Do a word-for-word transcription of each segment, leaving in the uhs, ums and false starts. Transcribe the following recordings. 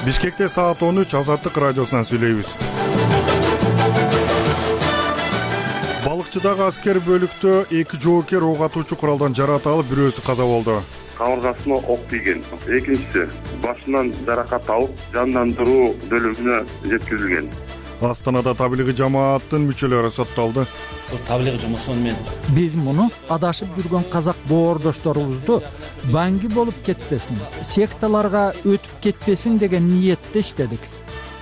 Бишкекте саат он үч Азаттык радиосунан сүйлөйбүз. Балыкчыдагы аскер бөлүктө эки жоокер ок атуучу куралдан жараат алып, бирөөсү каза болду. Кабыргасына ок тийген. Экинчиси башынан жаракат алып, жандандыруу бөлүмүнө жеткирилген. Астанада таблигый жамааттын мүчөлөрү соттолду. Таблигый жамаат менен биз муну адашып жүргөн казак боордошторубузду баңги болуп кетпесин, секталарга өтүп кетпесин деген ниетте иштедик.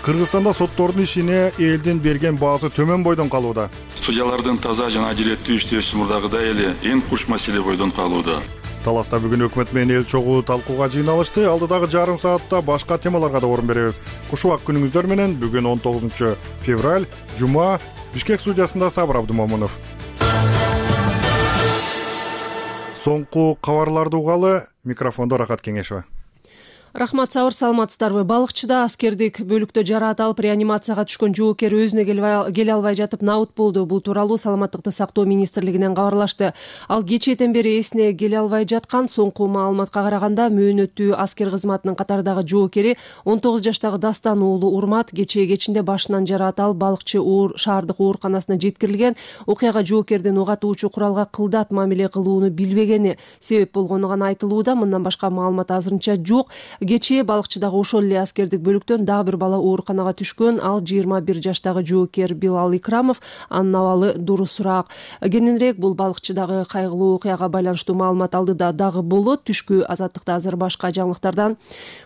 Кыргызстанда соттордун ишине элдин берген баасы төмөн бойдон калууда. Судьялардын таза жана адилеттүү иштеши мурдагыдай эле эң куч маселе бойдон калууда. Таласта бүгүн өкмөт менен эл чогуу талкууга жыйналышты. Алдыдагы жарым саатта башка темаларга да орун беребиз. Кушубак күнүңүздөр менен. Бүгүн он тогузунчу февраль, жума. Бишкек студиясында Сабыр Абдымомунов. Соңку кабарларды угалы. Микрофондо Рахат Кеңешова. Рахмат, Сабыр, саламатсыздарбы? Балыкчыда аскердик бөлүктө жараат алып, реанимацияга түшкөн жоокер өзүнө келе албай жатып набыт болду. Бул тууралуу Саламаттыкты сактоо министрлигинен кабарлашты. Ал кечээден бери эсине келе албай жаткан. Соңку маалыматка караганда, мөөнөттүү аскер кызматынын катардагы жоокери он тогуз жаштагы Дастан уулу Урмат кечээ кечинде башынан жараат алып, Балыкчы уур шаардык ооруканасына жеткирилген. Окуяга жоокердин ок атуучу куралга кылдат мамиле кылууну билбегени себеп болгону гана айтылууда. Мындан башка маалымат азырынча жок. Кечээ Балыкчыдагы ошол эле аскердик бөлүктөн дагы бир бала ооруканага түшкөн. Ал жыйырма бир жаштагы жоокер Билал Икрамов. Анын абалы дурусураак. Кененирээк бул Балыкчыдагы кайгылуу окуяга байланыштуу маалымат алдыда дагы болот. Түшкү Азаттыкта азыр башка жаңылыктардан.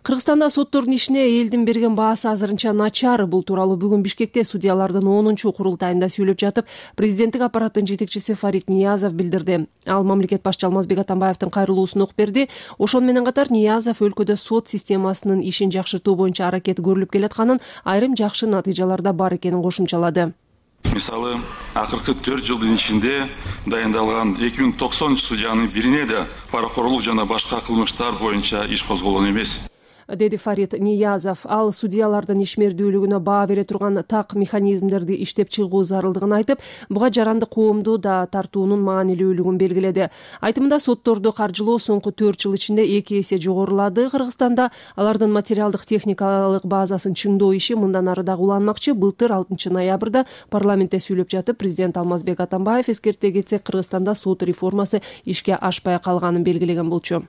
Кыргызстанда соттордун ишине элдин берген баасы азырынча начар. Бул тууралуу бүгүн Бишкекте судьялардын онунчу курултайында сүйлөп жатып, президенттик аппараттын жетекчиси Фарид Ниязов билдирди. Ал мамлекет башчы Алмазбек Атамбаевдин кайрылуусун окуп берди. Ошону менен катар Ниязов өлкөдө сот системасынын ишин жакшыртуу боюнча аракет көрүлүп келатканын, айрым жакшы натыйжалар да бар экенин кошумчалады. Мисалы, акыркы төрт жылдын ичинде дайындалган эки миң токсонунчу судьянын бирине да паракорлук жана башка кылмыштар боюнча иш козголгон эмес, деди Фарид Ниязов. Ал судьялардын ишмердүүлүгүнө баа бере турган так механизмдерди иштеп чыгуу зарылдыгын айтып, буга жаранды коомду да тартуунун маанилүүлүгүн белгиледи. Айтымында сотторду каржылоо соңку төрт жыл ичинде эки эсе жогорулады. Кыргызстанда алардын материалдык техникалык базасын чыңдоо иши мындан ары дагы уланмакчы. Былтыр алтынчы ноябрда парламентте сүйлөп жатып, президент Алмазбек Атамбаев эскерте кетсек, Кыргызстанда сот реформасы ишке ашпай калганын белгилеген болчу.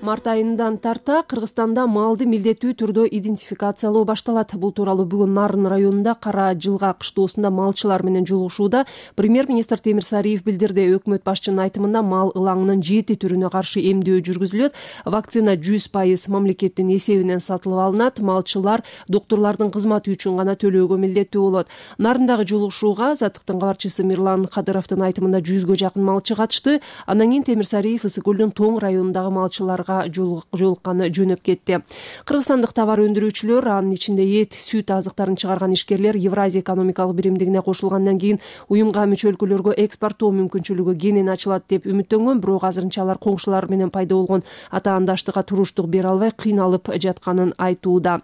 Март айынан тарта Кыргызстанда малды милдеттүү түрдө идентификациялоо башталат. Бул тууралуу бүгүн Нарын районунда Кара Жылга кыштоосунда малчылар менен жолугушууда премьер-министр Темир Сариев билдирди. Өкмөт башчынын айтымында мал ылаңынын жети түрүнө каршы эмдөө жүргүзүлөт. Вакцина жүз пайыз мамлекеттин эсебинен сатылып алынат. Малчылар доктурлардын кызматы үчүн гана төлөөгө милдеттүү болот. Нарындагы жолугушууга Азаттыктын кабарчысы Мирлан Кадыровдун айтымында жүзгө жакын малчы катышты. Андан кийин Темир Сариев Ысык көлдүн Тоң районундагы малчыларга жолукканы жөнөп кетти. Кыргызстандык товар өндүрүүчүлөр, анын ичинде эт, сүт азыктарын чыгарган ишкерлер Евразия экономикалык биримдигине кошулгандан кийин уюмга мүчө өлкөлөргө экспорттоо мүмкүнчүлүгү кенен ачылат деп үмүттөнгөн, бирок азырынча алар коңшулар менен пайда болгон атаандаштыкка туруштук бере албай кыйналып жатканын айтууда.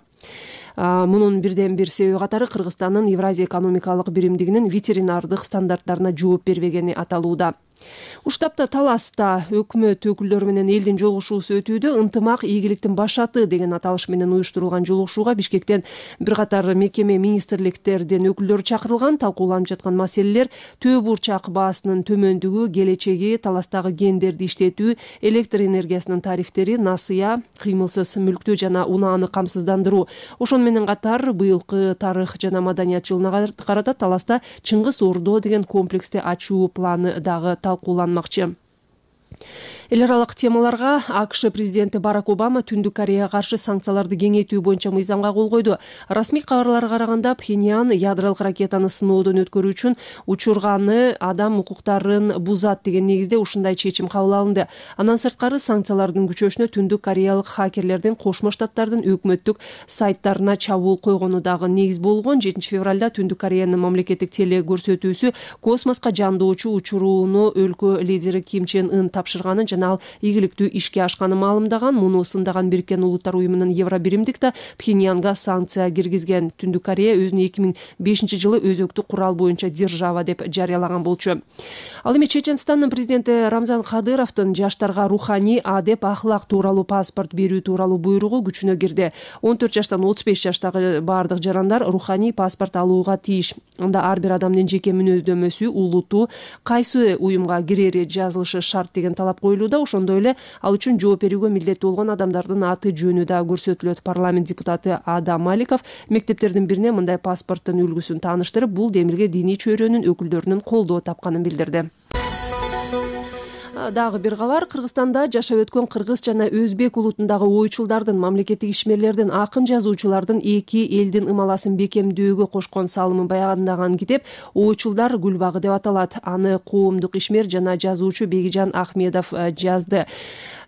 Мунун бирден бир себеби катары Кыргызстандын Евразия экономикалык биримдигинин ветеринардык стандарттарына жооп бербегени аталууда. Уштапта Таласта өкмөт өкүлдөрү менен элдин жолугушуусу өтүүдө. Ынтымак ийгиликтин башаты деген аталыш менен уюштурулган жолугушууга Бишкектен бир катар мекеме, министрликтердин өкүлдөрү чакырылган. Талкууланып жаткан маселелер төө бурчак баасынын төмөндүгү, келечеги, Таластагы гендерди иштетүү, электр энергиясынын тарифтери, насыя, кыймылсыз мүлктү жана унааны камсыздандыруу. Ошону менен катар быйылкы тарых жана маданият жылына карата Таласта Чыңгыз Ордо деген комплексти ачуу планы дагы талкууланмакчы. Эл аралык темаларга АКШ президенти Барак Обама Түндүк Кореяга каршы санкцияларды кеңейтүү боюнча мыйзамга кол койду. Расмий кабарларга караганда, Пхеньян ядролук ракетаны сыноодон өткөрүү үчүн учурганы адам укуктарын бузат деген негизде ушундай чечим кабыл алынды. Андан сырткары санкциялардын күчөшүнө Түндүк Кореялык хакерлердин Кошмо Штаттардын өкмөттүк сайттарына чабуул койгону дагы негиз болгон. жетинчи февралда Түндүк Кореянын мамлекеттик теле көрсөтүүсү космоска жандоочу учурууну өлкө лидери Ким Чен Ын тапшырганын жана ал ийгиликтүү ишке ашканын маалымдаган. Муну сындаган Бириккен Улуттар уюмунун Евробиримдик да Пхеньянга санкция киргизген. Түндүк Корея өзүн эки миң бешинчи жылы өзөктүү курал боюнча держава деп жарыялаган болчу. Ал эми Чеченстандын президенти Рамзан Кадыровдун жаштарга руханий адеп ахлак тууралуу паспорт берүү тууралуу буйругу күчүнө кирди. он төрт жаштан отуз беш жаштагы баардык жарандар руханий паспорт алууга тийиш. Анда ар бир адамдын жеке мүнөздөмөсү, улуту, кайсы уюмга кирери жазылышы шарт деген талап коюлууда. Ошондой эле ал үчүн жооп берүүгө милдеттүү болгон адамдардын аты жөнү да көрсөтүлөт. Парламент депутаты Адам Маликов мектептердин бирине мындай паспорттун үлгүсүн тааныштырып, бул демилге диний чөйрөнүн өкүлдөрүнүн колдоо тапканын билдирди. Дагы бир кабар. Кыргызстанда жашап өткөн кыргыз жана өзбек улутундагы ойчулдардын, мамлекеттик ишмерлердин, акын жазуучулардын эки элдин ымаласын бекемдөөгө кошкон салымын баяндаган китеп Ойчулдар гүлбагы деп аталат. Аны коомдук ишмер жана жазуучу Бегижан Ахмедов жазды.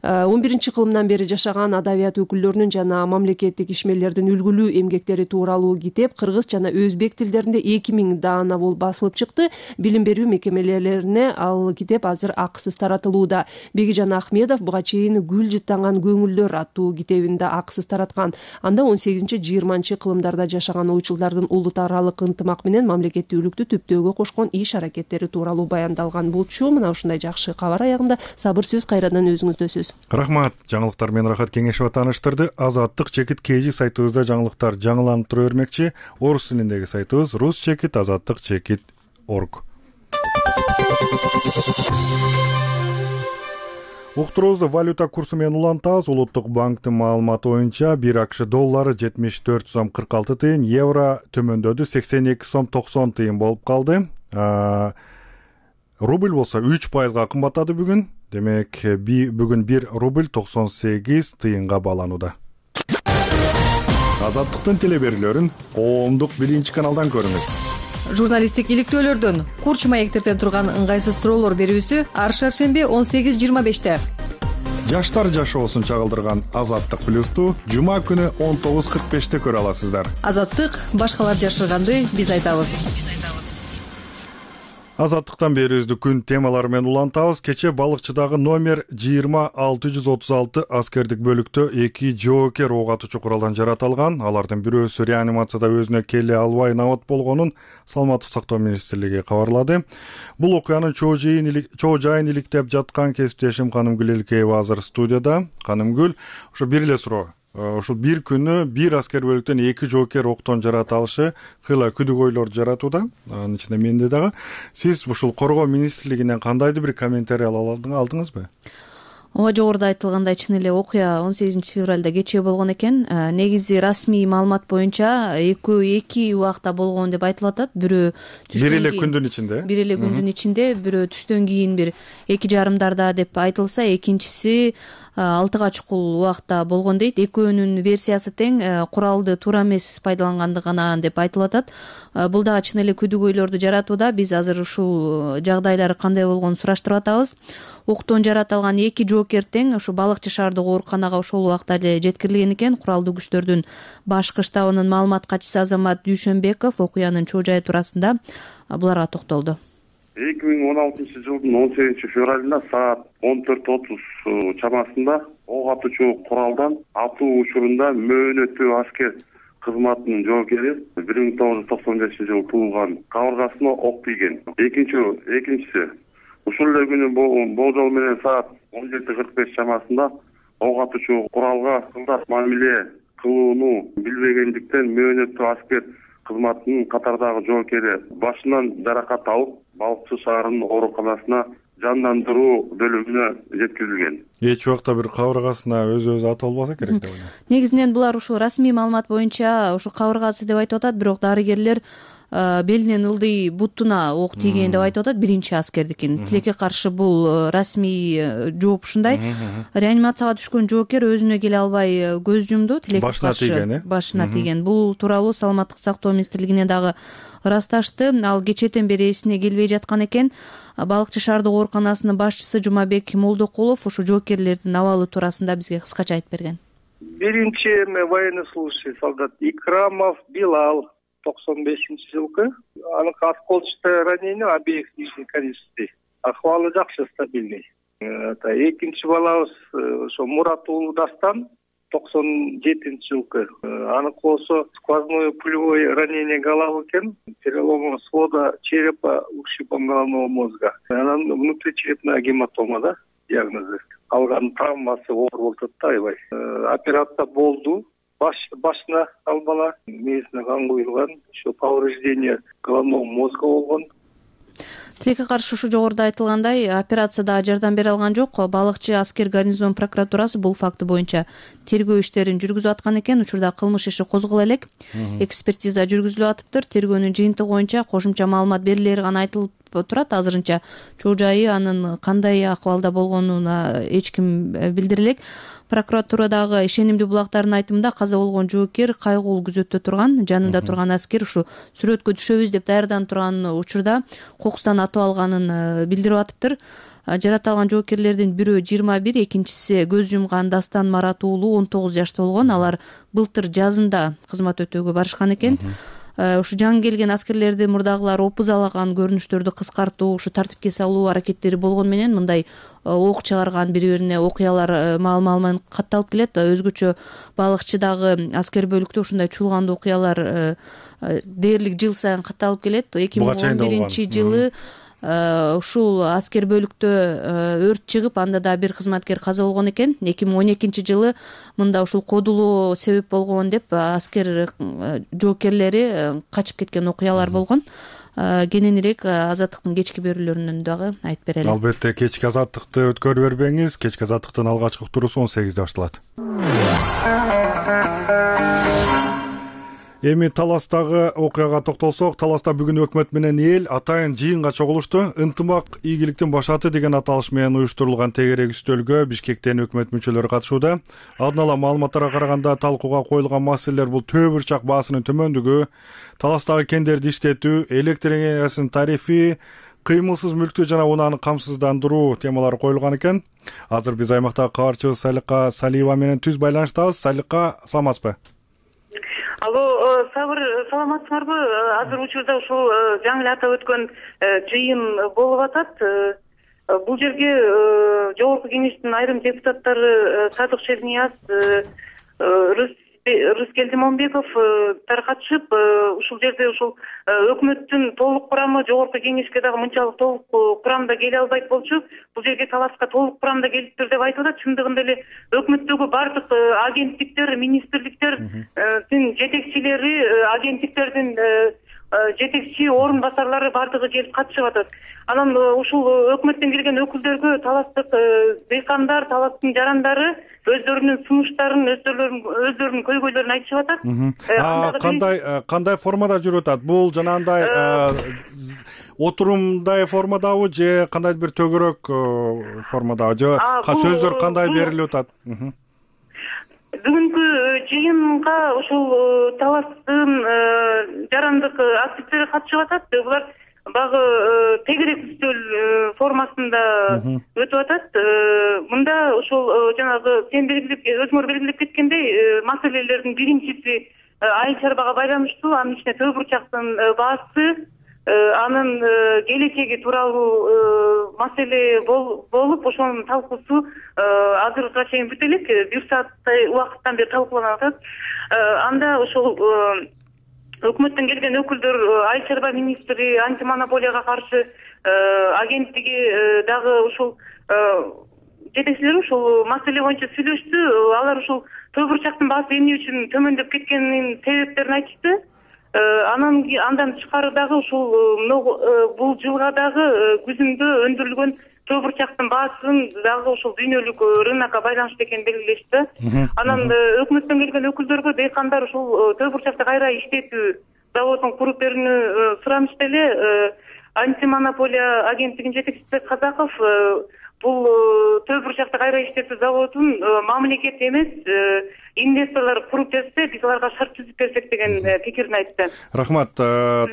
он биринчи кылымдан бери жашаган адабият өкүлдөрүнүн жана мамлекеттик ишмерлердин үлгүлүү эмгектери тууралуу китеп кыргыз жана өзбек тилдеринде эки миң даана болуп басылып чыкты. Билим берүү мекемелерине ал китеп азыр акысыз таратылууда. Бегижан Ахмедов буга чейин Гүл жыттанган көңүлдөр аттуу китебин да акысыз тараткан. Анда он сегизинчи жыйырманчы кылымдарда жашаган ойчулдардын улут аралык ынтымак менен мамлекеттүүлүктү түптөөгө кошкон иш аракеттери тууралуу баяндалган болчу. Мына ушундай жакшы кабар аягында сабыр сөз кайрадан өзүңүздө сөз. Рахмат. Жаңылыктар менен Рахат Кеңешова тааныштырды. Азаттык чекит kg сайтыбызда жаңылыктар жаңыланып тура бермекчи. Орус тилиндеги сайтыбыз рус чекит азаттык чекит орг. Уктуруубузду валюта курсу менен улантабыз. Улуттук банктын маалыматы боюнча бир акш доллары жетимиш төрт сом кырк алты тыйын, евро төмөндөдү сексен эки сом токсон тыйын болуп калды. Рубль болсо үч пайызга кымбаттады бүгүн. Демек, бүгүн бир рубль токсон сегиз тыйынга бааланууда. Азаттыктын телеберүүлөрүн коомдук биринчи каналдан көрүңүз. Журналисттик иликтөөлөрдөн курч маектерден турган ыңгайсыз суроолор берүүсү ар шаршемби он сегиз жыйырма беште. Жаштар жашоосун чагылдырган Азаттык плюсту жума күнү он тогуз кырк беште көрө аласыздар. Азаттык башкалар жашырганды биз айтабыз. Азаттыктан берүүбүздү күн темалары менен улантабыз. Кече балыкчыдагы номер жыйырма алты жүз отуз алты аскердик бөлүктө эки жоокер ок атуучу куралдан жаратылган. Алардын бирөөсү реанимацияда өзүнө келе албай набат болгонун Саламаттык сактоо министрлиги кабарлады. Бул окуянын чоо жайын иликтеп жаткан кесиптешим Канымгүл Элкеева азыр студияда. Канымгүл, ошо бир эле суроо. Ушул бир күнү бир аскер бөлүктөн эки жоокер октон жарата алышы кыйла күдүгөйлөрдү жаратууда. Анын ичинде менде дагы. Сиз ушул коргоо министрлигинен кандайдыр бир комментарий алдыңызбы? Ооба, жогоруда айтылгандай чын эле окуя он сегизинчи февралда кечээ болгон экен. Негизи расмий маалымат боюнча экөө эки убакта болгон деп айтылып атат. Бирөө бир эле күндүн ичинде. Бир эле күндүн ичинде, бирөө түштөн кийин бир эки жарымдарда деп айтылса, экинчиси алтыга чукул убакта болгон дейт. Экөөнүн версиясы тең, куралды туура эмес пайдалангандыгы гана деп айтылып атат. Бул дагы чын эле күдүгөйлөрдү жаратууда. Биз азыр ушул жагдайлар кандай болгонун сураштырып атабыз. Октон жаратылган эки жоокер тең ушу Балыкчы шаардык ооруканага ошол убакта эле жеткирилген экен. Куралдуу күчтөрдүн башкы штабынын маалымат катчысы Азамат Дүйшөнбеков окуянын чоо жайы туурасында буларга токтолду. эки миң он алтынчы жылдын он сегизинчи февралында саат он төрт отуз чамасында ок атуучу куралдан атуу учурунда мөөнөттүү аскер кызматынын жоокери бир миң тогуз жүз токсон бешинчи жылы туулган кабыргасына ок тийген. Экинчи экинчиси ушул эле күнү болжол менен саат он жети кырк беш чамасында ок атуучу куралга кылдат мамиле кылууну билбегендиктен мөөнөттүү аскер кызматынын катардагы жоокери башынан жаракат алып, Балыкчы шаарынын ооруканасына жандандыруу бөлүмүнө жеткирилген. Эч убакта бир кабыргасына өзү-өзү ат албаса керек деп ойлойм. Негизинен булар ушул расмий маалымат боюнча ушу кабыргасы деп айтып атат, бирок дарыгерлер белинен ылдый бутуна ок тийген деп айтып атат, биринчи аскердикин. Тилекке каршы бул расмий жооп ушундай. Реанимацияга түшкөн жоокер өзүнө келе албай көз жумду, тилекке каршы башына тийген. Бул тууралуу Саламаттык сактоо министрлигине дагы ырасташты. Ал кечэтен бери эсине келбей жаткан экен. Балыкчы шаардык ооруканасынын башчысы Жумабек Молдокулов ушу жоокерлердин абалы туурасында бизге кыскача айтып берген. Биринчи военнослужащий солдат Икрамов Билал токсон бешинчи жылкы. Анын осколочное ранение обеих нижних конечностей. Ахвалы жакшы, стабильный. Экинчи балабыз ошо Мурат уулу Дастан токсон жетинчи жылкы. Аныкы болсо сквозное пулевое ранение головы экен, перелом свода черепа, ушибом головного мозга. Анан внутричерепная гематома да диагнозу. Алган травмасы оор болуп атат да аябай. Операция болду. Баш башына ал бала мээсине кан куюлган, ошо повреждение головного мозга болгон. Тилекке каршы ушу жогоруда айтылгандай операцияда жардам бере алган жок. Балыкчы Аскер гарнизон прокуратурасы бул факты боюнча тергөө иштерин жүргүзүп аткан экен. Учурда кылмыш иши козголо элек. Экспертиза жүргүзүлүп атыптыр. Тергөөнүн жыйынтыгы боюнча кошумча маалымат берилери гана айтылып турат. Азырынча чоо жайы, анын кандай акыбалда болгонуна эч ким билдире элек. Прокуратурадагы ишенимдүү булактардын айтымында каза болгон жоокер кайгылуу күзөттө турган, жанында турган аскер ушу сүрөткө түшөбүз деп даярданып турган учурда кокустан атып алганын билдирип атыптыр. Жараталган жоокерлердин бирөө жыйырма бир, экинчиси көз жумган Дастан Марат уулу он тогуз жашта болгон. Алар былтыр жазында кызмат өтөөгө барышкан экен. Ушу жаңы келген аскерлерди мурдагылар опузалаган көрүнүштөрдү кыскартуу, ушу тартипке салуу аракеттери болгону менен мындай ок чыгарган бири-бирине окуялар маал-маал катталып келет. Өзгөчө балыкчыдагы аскер бөлүктө ушундай чуулгандуу окуялар дээрлик жыл сайын катталып келет. эки миң он биринчи жылы ушул аскер бөлүктө өрт чыгып, анда да бир кызматкер каза болгон экен. эки миң он экинчи жылы мында ушул кодулоо себеп болгон деп аскер жоокерлери качып кеткен окуялар болгон. Кененирээк Азаттыктын кечки берүүлөрүнөн дагы айтып берели. Албетте, кечки Азаттыкты өткөрүп бербеңиз. Кечки Азаттыктын алгачкы уктуруусу он сегизде башталат. Эми Таластагы окуяга токтолсок, Таласта бүгүн өкмөт менен эл атайын жыйынга чогулушту. Ынтымак ийгиликтин башаты деген аталыш менен уюштурулган тегерек үстөлгө Бишкектен өкмөт мүчөлөрү катышууда. Алдын ала маалыматтарга караганда талкууга коюлган маселелер бул төө бурчак баасынын төмөндүгү, Таластагы кендерди иштетүү, электр энергиясынын тарифи, кыймылсыз мүлктү жана унааны камсыздандыруу темалары коюлган экен. Азыр биз аймактагы кабарчыбыз Салика Салиева менен түз байланыштабыз. Салика, саламатсызбы? Алло, Сабыр, саламатсыңарбы? Азыр учурда ушул жаңы эле атап өткөн жыйын болуп атат. Бул жерге Жогорку Кеңештин айрым депутаттары Садык Шернияз, Рыскелдимонбеков таркатышып, ушул жерде ушул өкмөттүн толук курамы Жогорку Кеңешке дагы мынчалык толук курамда келе албайт болчу. Бул жерге Таласка толук курамда келиптир деп айтып атат. Чындыгында эле өкмөттөгү бардык агенттиктер, министрликтердин жетекчилери, агенттиктердин жетекчи орун басарлары бардыгы келип катышып атат. Анан ушул өкмөттөн келген өкүлдөргө таластык дыйкандар, таластын жарандары өздөрүнүн сунуштарын, өздөрүнүн өздөрүнүн көйгөйлөрүн айтышып атат. Кандай кандай формада жүрүп атат? Бул жанагындай отурумдай формадабы же кандайдыр бир төгөрөөк формадабы же сөздөр кандай берилип атат? Бүгүнкү жыйынга ушул Таластын жарандык активдери катышып атат. Булар багы тегерек үстөл формасында өтүп атат. Мында ушул жанагы сен белгилеп, өзүңөр белгилеп кеткендей маселелердин биринчиси айыл чарбага байланыштуу, анын ичинде төө бурчактын баасы, анын келечеги тууралуу маселе болуп, ошонун талкуусу азыркыга чейин бүтө элек, бир сааттай убакыттан бери талкууланып атат. Анда ошол өкмөттөн келген өкүлдөр, айыл чарба министри, антимонополияга каршы агенттиги дагы ушул жетекчилери ушул маселе боюнча сүйлөштү. Алар ушул төө бурчактын баасы эмне үчүн төмөндөп кеткенинин себептерин айтышты. Анан андан тышкары дагы ушул бул жылга дагы күзүндө өндүрүлгөн төө бурчактын баасын дагы ушул дүйнөлүк рынокко байланыштуу экенин белгилешти. Анан өкмөттөн келген өкүлдөргө дыйкандар ушул төө бурчакты кайра иштетүү заводун куруп берүүнү суранышты эле. Антимонополия агенттигинин жетекчиси Казаков бул төө бурчакты кайра иштетүү заводун мамлекет эмес, инвесторлор куруп берсе, биз аларга шарт түзүп берсек деген пикирин айтты. Рахмат.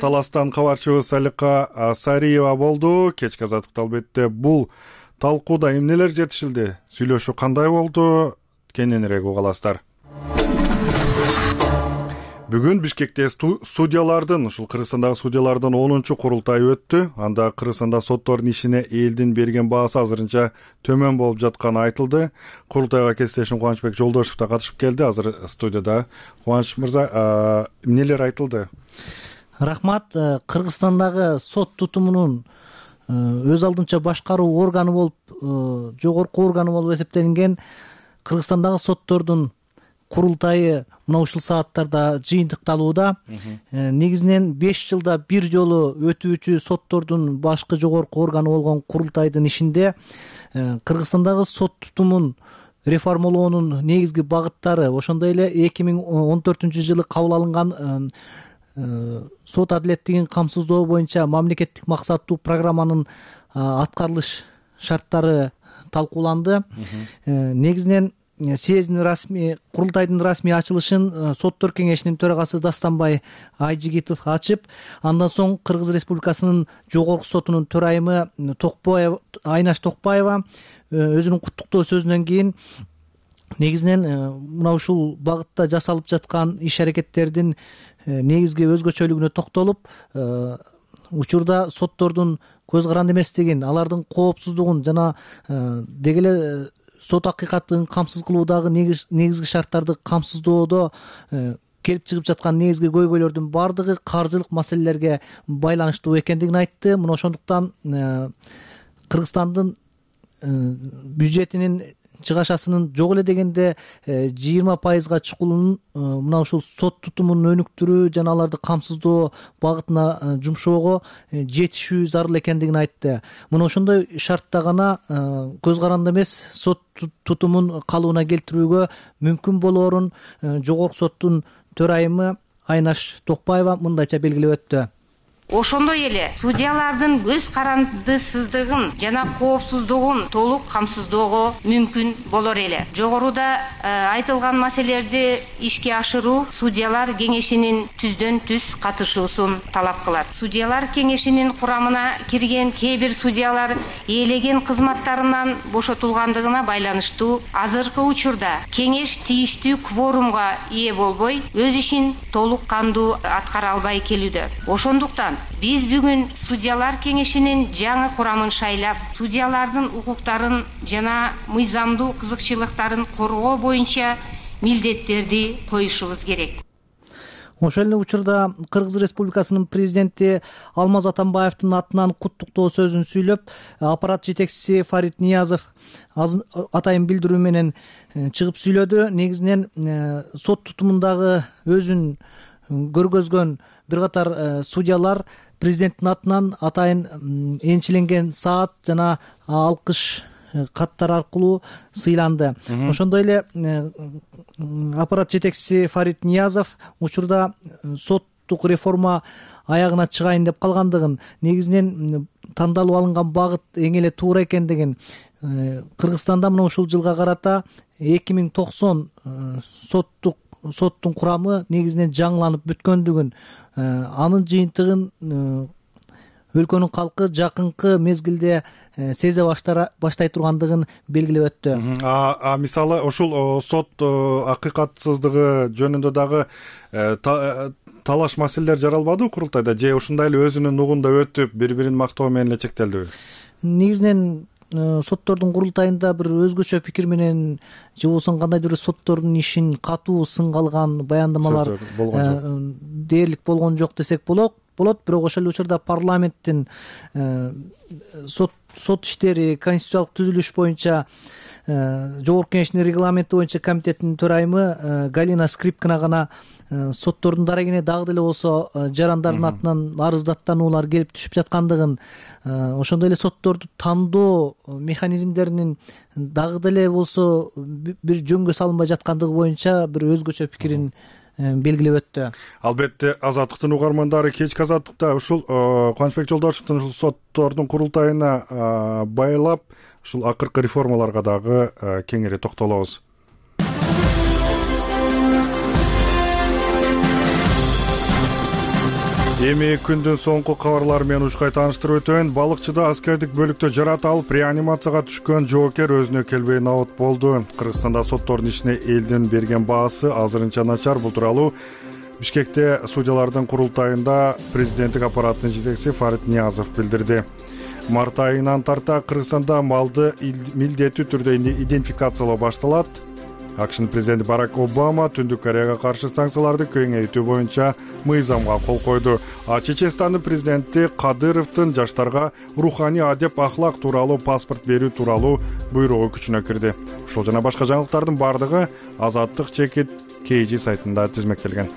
Таластан кабарчыбыз Салика Сариева болду. Кечки Азаттыкта албетте бул талкууда эмнелер жетишилди? Сүйлөшүү кандай болду? Кененирээк уга аласыздар. Бүгүн Бишкекте судьялардын, ушул Кыргызстандагы судьялардын онунчу курултайы өттү. Анда Кыргызстанда соттордун ишине элдин берген баасы азырынча төмөн болуп жатканы айтылды. Курултайга кесиптешим Кубанычбек Жолдошев да катышып келди. Азыр студияда. Кубаныч мырза, эмнелер айтылды? Рахмат. Кыргызстандагы сот тутумунун өз алдынча башкаруу органы болуп, жогорку органы болуп эсептелинген Кыргызстандагы соттордун курултайы мына ушул сааттарда жыйынтыкталууда. Негизинен беш жылда бир жолу өтүүчү соттордун башкы жогорку органы болгон курултайдын ишинде Кыргызстандагы сот тутумун реформалоонун негизги багыттары, ошондой эле эки миң он төртүнчү жылы кабыл алынган сот адилеттигин камсыздоо боюнча мамлекеттик максаттуу программанын аткарылыш шарттары талкууланды. Негизинен съездин расмий курултайдын расмий ачылышын соттор кеңешинин төрагасы Дастанбай Айжигитов ачып, андан соң Кыргыз Республикасынын жогорку сотунун төрайымы Токпаева Айнаш Токпаева өзүнүн куттуктоо сөзүнөн кийин негизинен мына ушул багытта жасалып жаткан иш аракеттердин негизги өзгөчөлүгүнө токтолуп, учурда соттордун көз каранды эместигин, алардын коопсуздугун жана деги эле сот акыйкаттыгын камсыз кылуудагы негизги шарттарды камсыздоодо келип чыгып жаткан негизги көйгөйлөрдүн баардыгы каржылык маселелерге байланыштуу экендигин айтты. Мына ошондуктан Кыргызстандын бюджетинин чыгашасынын жок эле дегенде жыйырма пайызга чукулун мына ушул сот тутумун өнүктүрүү жана аларды камсыздоо багытына жумшоого жетишүү зарыл экендигин айтты. Мына ошондой шартта гана көз каранды эмес сот тутумун калыбына келтирүүгө мүмкүн болоорун жогорку соттун төрайымы Айнаш Токпаева мындайча белгилеп өттү. Ошондой эле судьялардын көз карандысыздыгын жана коопсуздугун толук камсыздоого мүмкүн болор эле. Жогоруда айтылган маселелерди ишке ашыруу судьялар кеңешинин түздөн түз катышуусун талап кылат. Судьялар кеңешинин курамына кирген кээ бир судьялар ээлеген кызматтарынан бошотулгандыгына байланыштуу азыркы учурда кеңеш тийиштүү кворумга ээ болбой, өз ишин толук кандуу аткара албай келүүдө. Ошондуктан биз бүгүн судьялар кеңешинин жаңы курамын шайлап, судьялардын укуктарын жана мыйзамдуу кызыкчылыктарын коргоо боюнча милдеттерди коюшубуз керек. Ошол эле учурда Кыргыз Республикасынын президенти Алмаз Атамбаевдин атынан куттуктоо сөзүн сүйлөп, аппарат жетекчиси Фарид Ниязов атайын билдирүү менен чыгып сүйлөдү. Негизинен сот тутумундагы өзүн көргөзгөн бир катар судьялар президенттин атынан атайын энчиленген саат жана алкыш каттар аркылуу сыйланды. Ошондой эле аппарат жетекчиси Фарид Ниязов учурда соттук реформа аягына чыгайын деп калгандыгын, негизинен тандалып алынган багыт эң эле туура экендигин, Кыргызстанда мына ушул жылга карата эки миң токсон соттук соттун курамы негизинен жаңыланып бүткөндүгүн, анын жыйынтыгын өлкөнүн калкы жакынкы мезгилде сезе баштай тургандыгын белгилеп өттү. А мисалы ушул сот акыйкатсыздыгы жөнүндө дагы талаш маселелер жаралбадыбы курултайда, же ушундай эле өзүнүн угунда өтүп, бири-бирин мактоо менен эле чектелдиби? Негизинен соттордун курултайында бир өзгөчө пикир менен же болбосо кандайдыр бир соттордун ишин катуу сынга алган баяндамалар дээрлик болгон жок десек болот. Бирок ошол эле учурда парламенттин сот сот иштери конституциялык түзүлүш боюнча жогорку кеңештин регламенти боюнча комитеттин төрайымы Галина Скрипкина гана соттордун дарегине дагы деле болсо жарандардын атынан арыздаттануулар келип түшүп жаткандыгын, ошондой эле сотторду тандоо механизмдеринин дагы деле болсо бир жөнгө салынбай жаткандыгы боюнча бир өзгөчө пикирин белгилеп өттү. Албетте Азаттыктын угармандары кечки Азаттыкта ушул Кубанычбек Жолдошевдун ушул соттордун курултайына байлап ушул акыркы реформаларга дагы кеңири токтолобуз. Эми күндүн соңку кабарлары менен ушкай тааныштырып өтөйүн. Балыкчыда аскердик бөлүктө жарат алып реанимацияга түшкөн жоокер өзүнө келбей набыт болду. Кыргызстанда соттордун ишине элдин берген баасы азырынча начар. Бул тууралуу Бишкекте судьялардын курултайында президенттик аппараттын жетекчиси Фарид Ниязов билдирди. Март айынан тарта Кыргызстанда малды милдеттүү түрдө идентификациялоо башталат. АКШнын президенти Барак Обама Түндүк Кореяга каршы санкцияларды кеңейтүү боюнча мыйзамга кол койду. А Чеченстандын президенти Кадыровдун жаштарга руханий адеп ахлак тууралуу паспорт берүү тууралуу буйругу күчүнө кирди. Ушул жана башка жаңылыктардын бардыгы Азаттык чекит кей жи сайтында тизмектелген.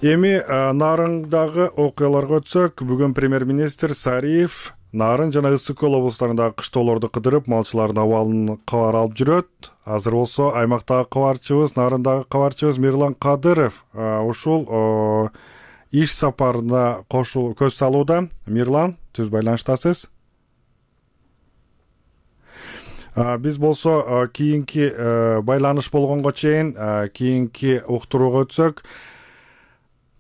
Эми Нарыңдагы окуяларга өтсөк, бүгүн премьер-министр Сариев Нарын жана Ысык Көл облустарындагы кыштоолорду кыдырып, малчылардын абалын кабар алып жүрөт. Азыр болсо аймактагы кабарчыбыз, Нарындагы кабарчыбыз Мирлан Кадыров ушул иш сапарына кошул көз салууда. Мирлан, түз байланыштасыз. Биз болсо кийинки байланыш болгонго чейин кийинки уктурууга өтсөк,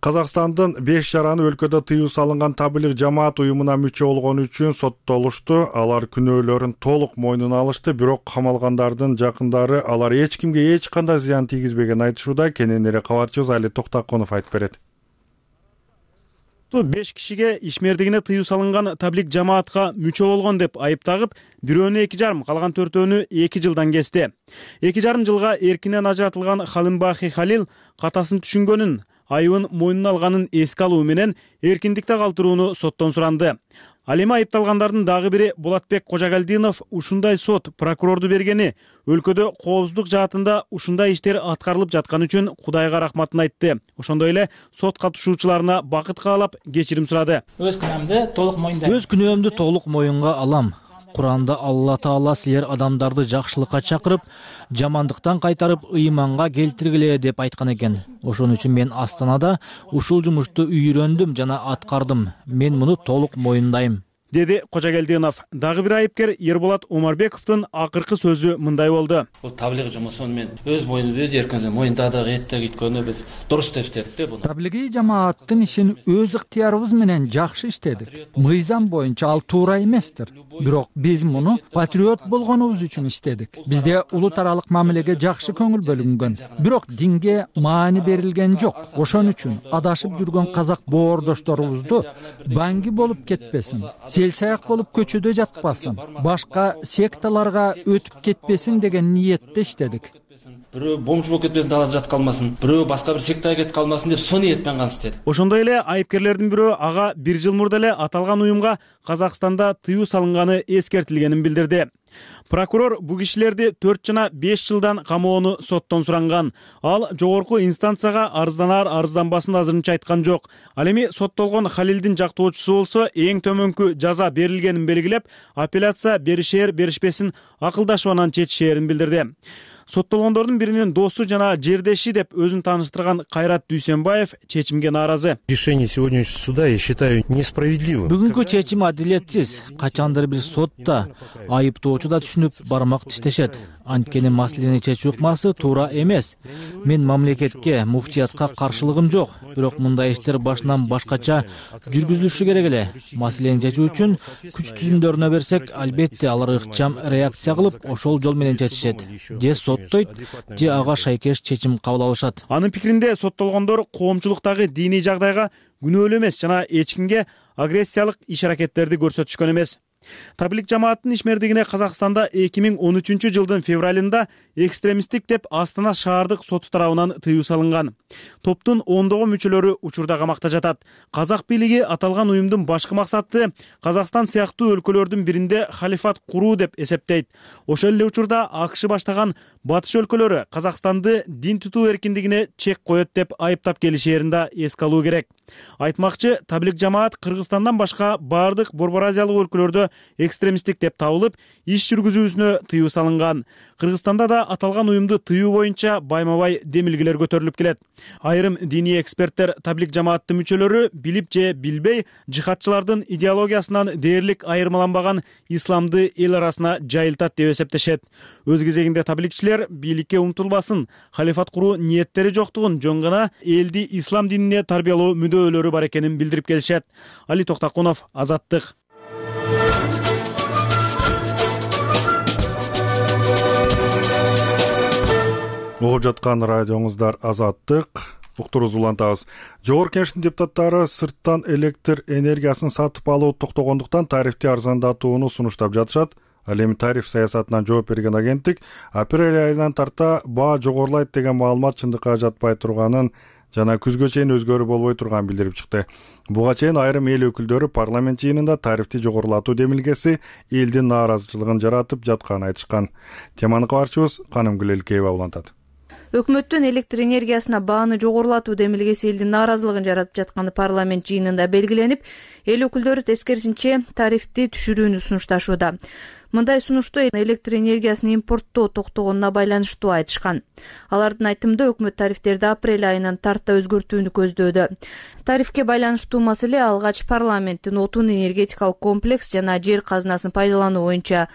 Казакстандын беш жараны өлкөдө тыюу салынган таблиг жамаат уюмуна мүчө болгону үчүн соттолушту. Алар күнөөлөрүн толук мойнуна алышты, бирок камалгандардын жакындары алар эч кимге эч кандай зыян тийгизбеген айтышууда. Кененирээк кабарчыбыз Али Токтаконов айтып берет. беш кишиге ишмердигине тыюу салынган таблиг жамаатка мүчө болгон деп айып тагып, бирөөнү эки жарым, калган төртөөнү эки жылдан кести. эки жарым жылга эркинен ажыратылган Халимбахи Халил катасын түшүнгөнүн, айыбын мойнуна алганын эске алуу менен эркиндикте калтырууну соттон суранды. Ал эми айыпталгандардын дагы бири Болотбек Кожогалдинов ушундай сот прокурорду бергени, өлкөдө коопсуздук жаатында ушундай иштер аткарылып жатканы үчүн Кудайга рахматын айтты. Ошондой эле сот катышуучуларына бакыт каалап кечирим сурады. Өз күнөөмдү толук моюндайм. Өз күнөөмдү толук моюнга алам. Куранда Алла Таала силер адамдарды жакшылыкка чакырып, жамандыктан кайтарып, ыйманга келтиргиле деп айткан экен. Ошон үчүн мен Астанада ушул жумушту үйрөндүм жана аткардым. Мен муну толук моюндайм, деди Кожогалдинов. Дагы бир айыпкер Ерболат Омарбековдун акыркы сөзү мындай болду. Бул таблиг жумушун мен өз моюнду өз эркинде моюндадык, эттек иткөнү биз дурус деп иштедик да буну. Таблигий жамааттын ишин өз ыктыярыбыз менен жакшы иштедик. Мыйзам боюнча ал туура эместир. Бирок биз муну патриот болгонубуз үчүн иштедик. Бизде улут аралык мамилеге жакшы көңүл бөлүнгөн. Бирок динге маани берилген жок. Ошон үчүн адашып жүргөн казак боордошторубузду банги болуп кетпесин, сел-саяк болуп көчөдө жатпасын, башка секталарга өтүп кетпесин деген ниетте иштедик. Бирөө бомж болуп кетпесин, далада жатып калмасын, бирөө башка бир сектага кетип калмасын деп со ниет менен гана иштедик. Ошондой эле айыпкерлердин бирөө ага бир жыл мурда эле аталган уюмга Казакстанда тыюу салынганы эскертилгенин билдирди. Прокурор бу кишилерди төрт жана беш жылдан камоону соттон суранган. Ал жогорку инстанцияга арызданаар арызданбасын азырынча айткан жок. Ал эми соттолгон Халилдин жактоочусу болсо эң төмөнкү жаза берилгенин белгилеп, апелляция беришээр беришпесин акылдашып анан чечишээрин билдирди. Соттолгондордун биринин досу жана жердеши деп өзүн тааныштырган Кайрат Дүйсенбаев чечимге нааразы. Решение сегодняшнего суда я считаю несправедливым. Бүгүнкү чечим адилетсиз. Качандыр бир сотта айыптоочу да түшүнүп бармак тиштешет. Анткени маселени чечүү ыкмасы туура эмес. Мен мамлекетке, муфтиятка каршылыгым жок, бирок мындай иштер башынан башкача жүргүзүлүшү керек эле. Маселени чечүү үчүн күч түзүмдөрүнө берсек, албетте алар ыкчам реакция кылып, ошол жол менен чечишет. Же соттойт, же ага шайкеш чечим кабыл алышат. Анын пикиринде соттолгондор коомчулуктагы диний жагдайга күнөөлүү эмес жана эч кимге агрессиялык иш-аракеттерди көрсөтүшкөн эмес. Таблиг жамааттын ишмердигине Казакстанда эки миң он үчүнчү жылдын февралында экстремисттик деп Астана шаардык соту тарабынан тыюу салынган. Топтун ондогон мүчөлөрү учурда камакта жатат. Казак бийлиги аталган уюмдун башкы максаты Казакстан сыяктуу өлкөлөрдүн биринде халифат куруу деп эсептейт. Ошол эле учурда АКШ баштаган батыш өлкөлөрү Казакстанды дин тутуу эркиндигине чек коет деп айыптап келишээрин да эске алуу керек. Айтмакчы, таблиг жамаат Кыргызстандан башка бардык Борбор Азиялык өлкөлөрдө экстремисттик деп табылып, иш жүргүзүүсүнө тыюу салынган. Кыргызстанда да аталган уюмду тыюу боюнча байма-бай демилгелер көтөрүлүп келет. Айрым диний эксперттер таблиг жамааттын мүчөлөрү билип же билбей жихадчылардын идеологиясынан дээрлик айырмаланбаган исламды эл арасына жайылтат деп эсептешет. Өз кезегинде таблигчилер бийликке умтулбасын, халифат куруу ниеттери жоктугун, жөн гана элди ислам динине тарбиялоо мүддөөлөрү бар экенин билдирип келишет. Али Токтаконов, Азаттык. Угуп жаткан радиоңуздар Азаттык. Уктурубузду улантабыз. Жогорку Кеңештин депутаттары сырттан электр энергиясын сатып алуу токтогондуктан тарифти арзандатууну сунуштап жатышат. Ал эми тариф саясатынан жооп берген агенттик апрель айынан тарта баа жогорулайт деген маалымат чындыкка жатпай турганын жана күзгө чейин өзгөрүү болбой турганын билдирип чыкты. Буга чейин айрым эл өкүлдөрү парламент жыйынында тарифти жогорулатуу демилгеси элдин нааразычылыгын жаратып жатканын айтышкан. Теманы кабарчыбыз Канымгүл Элкеева улантат. Өкмөттүн электр энергиясына бааны жогорулатуу демилгеси элдин нааразылыгын жаратып жатканы парламент жыйынында белгиленип, эл өкүлдөрү тескерисинче тарифти түшүрүүнү сунушташууда. Мындай сунушту электр энергиясын импорттоо токтогонуна байланыштуу айтышкан. Алардын айтымында өкмөт тарифтерди апрель айынан тарта өзгөртүүнү көздөөдө. Тарифке байланыштуу маселе алгач парламенттин отун энергетикалык комплекс жана жер казынасын пайдалануу боюнча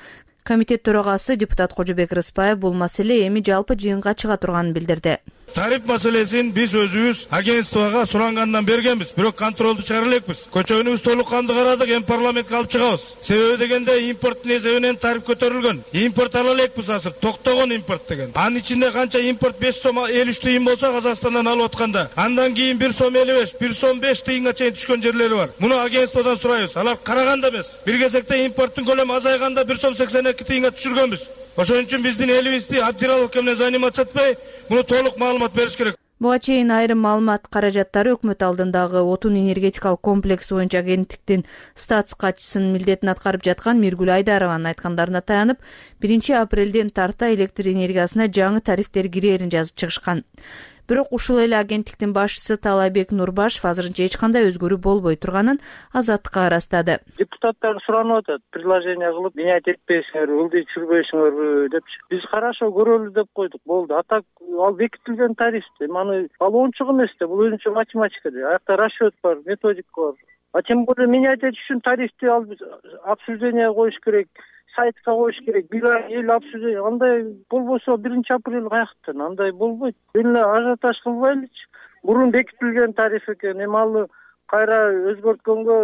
комитет төрагасы депутат Кожобек Рыспаев бул маселе эми жалпы жыйынга чыга турганын билдирди. Тариф маселесин биз өзүбүз агентствого сурангандан бергенбиз, бирок контролду чыгара элекпиз. Көчөгүнүбүз толук канды карадык, эми парламентке алып чыгабыз. Себеби дегенде импорттун эсебинен тариф көтөрүлгөн. Импорт ала элекпиз азыр, токтогон импорт деген. Анын ичинде канча импорт беш сом элүү үч тыйын болсо Казакстандан алып атканда, андан кийин бир сом элүү беш, бир сом беш тыйынга чейин түшкөн жерлери бар. Муну агентстводон сурайбыз. Алар караганда эмес. Бир кезекте импорттун көлөмү азайганда бир сом сексен эки тыйынга түшүргөнбүз. Ошон үчүн биздин элибизди Абдираловке менен заниматься этпей, муну толук маалымат бериш керек. Буга чейин айрым маалымат каражаттары өкмөт алдындагы отун энергетикалык комплекс боюнча агенттиктин статс катчысынын милдетин аткарып жаткан Миргүл Айдарованын айткандарына таянып, биринчи апрелден тарта электр энергиясына жаңы тарифтер кирерин жазып чыгышкан. Бирок ушул эле агенттиктин башчысы Талайбек Нурбашев азырынча эч кандай өзгөрүү болбой турганын Азаттыкка ырастады. Депутаттар суранып атат, предложение кылып, менять этпейсиңерби, ылдый түшүрбөйсүңөрбү деп. Биз карашо көрөлү деп койдук, болду. А так ал бекитилген тарифти, маны ал оңчук эмес да, бул өзүнчө математика да. Аякта расчет бар, методика бар. А тем более менять этиш үчүн тарифти ал обсуждение коюш керек. Сайтка коюш керек, бир ай эл обсуждение, андай болбосо биринчи апрель каяктан, андай болбойт. Эле ажиотаж кылбайлычы. Мурун бекитилген тариф экен, эми алы кайра өзгөрткөнгө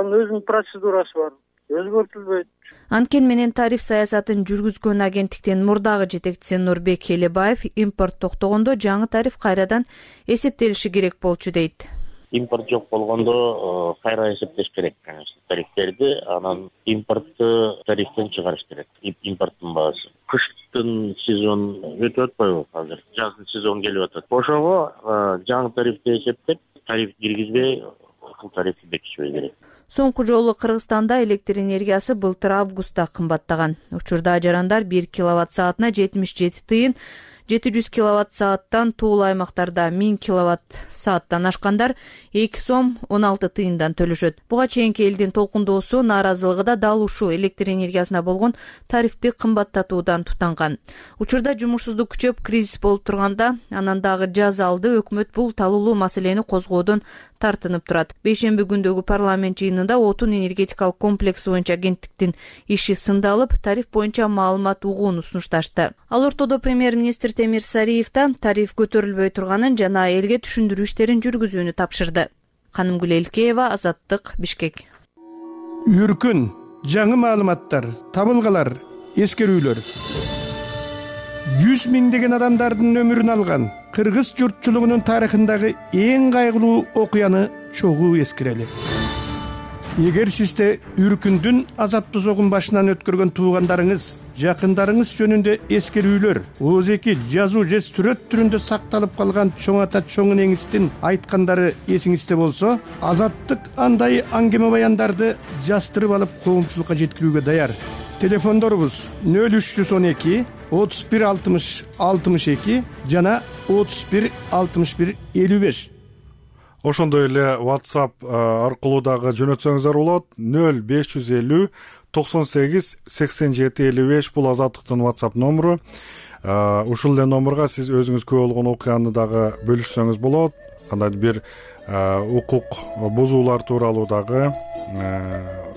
анын өзүнүн процедурасы бар. Өзгөртүлбөйт. Анткени менен тариф саясатын жүргүзгөн агенттиктин мурдагы жетекчиси Нурбек Элебаев импорт токтогондо жаңы тариф кайрадан эсептелиши керек болчу дейт. Импорт жок болгондо кайра эсептеш керек, конечно, тарифтерди, анан импортты тарифтен чыгарыш керек. Импорттун баасы. Кыштын сезон өтүп атпайбы азыр? Жаздын сезон келип атат. Ошого жаңы тарифти эсептеп, тариф киргизбей, ушул тарифти бекитишибиз керек. Соңку жолу Кыргызстанда электр энергиясы былтыр августта кымбаттаган. Учурда жарандар бир киловатт саатына жетимиш жети тыйын, жети жүз киловатт сааттан тоолуу аймактарда миң киловатт сааттан ашкандар эки сом он алты тыйындан төлөшөт. Буга чейинки элдин толкундоосу, нааразылыгы да дал ушул электр энергиясына болгон тарифти кымбаттатуудан тутанган. Учурда жумушсуздук күчөп, кризис болуп турганда, анан дагы жаз алды өкмөт бул талуулуу маселени козгоодон тартынып турат. Бейшемби күндөгү парламент жыйынында отун энергетикалык комплекс боюнча агенттиктин иши сындалып, тариф боюнча маалымат угууну сунушташты. Ал ортодо премьер-министр Темир Сариев да тариф көтөрүлбөй турганын жана элге түшүндүрүү иштерин жүргүзүүнү тапшырды. Канымгүл Элкеева, Азаттык, Бишкек. Үркүн, жаңы маалыматтар, табылгалар, эскерүүлөр. жүз миңдеген адамдардын өмүрүн алган кыргыз журтчулугунун тарыхындагы эң кайгылуу окуяны чогуу эскерели. Эгер сизде Үркүндүн азаптуу согун башынан өткөргөн туугандарыңыз, жакындарыңыз жөнүндө эскерүүлөр, ооз-эки жазуу же сүрөт түрүндө сакталып калган чоң ата чоң энеңиздин айткандары эсиңизде болсо, Азаттык андай аңгеме баяндарды жастырып алып коомчулукка жеткирүүгө даяр. Телефондорубуз нөл үч жүз он эки отуз бир алтымыш алтымыш эки жана отуз бир алтымыш бир элүү беш. Ошондой эле WhatsApp аркылуу дагы жөнөтсөңүздөр болот. нөл беш жүз элүү токсон сегиз сексен жети элүү беш бул Азаттыктын WhatsApp номеру. Ушул эле номерга сиз өзүңүз күбө болгон окуяны дагы бөлүшсөңүз болот. Кандайдыр бир укук бузуулар тууралуу дагы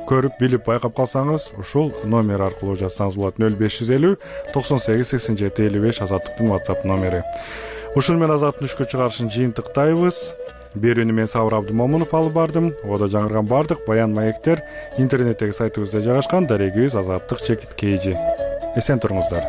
көрүп билип байкап калсаңыз, ушул номер аркылуу жазсаңыз болот. нөл беш жүз элүү токсон сегиз сексен жети элүү беш Азаттыктын WhatsApp номери. Ушул менен Азаттын түшкү чыгарышын жыйынтыктайбыз. Берүүнү мен Сабыр Абдымомунов алып бардым. Ода жаңырган бардык баян маектер интернеттеги сайтыбызда жайгашкан. Дарегибиз Азаттык чекит кейжи. Эсен туруңуздар.